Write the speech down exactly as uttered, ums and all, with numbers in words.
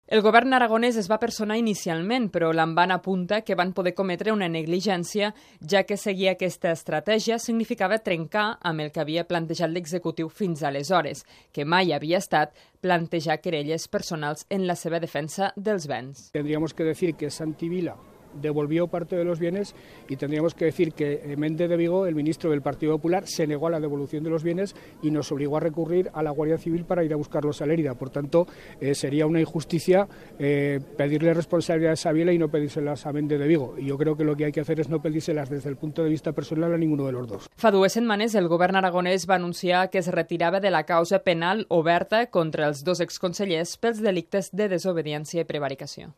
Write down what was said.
El govern aragonès es va personar inicialment, però l'Amban apunta que van poder cometre una negligència, ja que seguir aquesta estratègia significava trencar amb el que havia plantejat l'executiu fins aleshores, que mai havia estat plantejar querelles personals en la seva defensa dels béns. Tendríamos que decir que Santi Vila devolvió parte de los bienes y tendríamos que decir que Méndez de Vigo, el ministro del Partido Popular, se negó a la devolución de los bienes y nos obligó a recurrir a la Guardia Civil para ir a buscarlos a Lérida. Por tanto, eh, sería una injusticia eh, pedirle responsabilidades a Vila y no pedírselas a Méndez de Vigo. Y yo creo que lo que hay que hacer es no pedírselas desde el punto de vista personal a ninguno de los dos. Fa dues setmanes, el govern aragonès va anunciar que es retirava de la causa penal oberta contra els dos exconsellers pels delictes de desobediència i prevaricació.